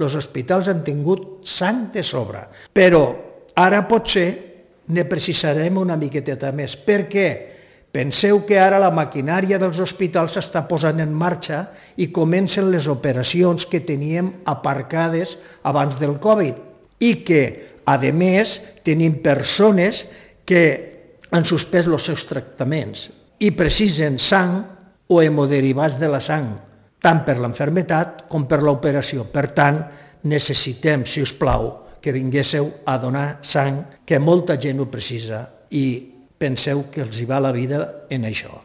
Els hospitals han tingut sang de sobre, però ara potser ne precisarem una miqueteta més. Per què? Penseu que ara la maquinària dels hospitals s'està posant en marxa i comencen les operacions que teníem aparcades abans del Covid i que, a més, tenim persones que han suspès els seus tractaments i precisen sang o hemoderivats de la sang, tant per l'enfermetat com per l'operació. Per tant, necessitem, si us plau, que vinguéssiu a donar sang, que molta gent ho precisa i penseu que els hi va la vida en això.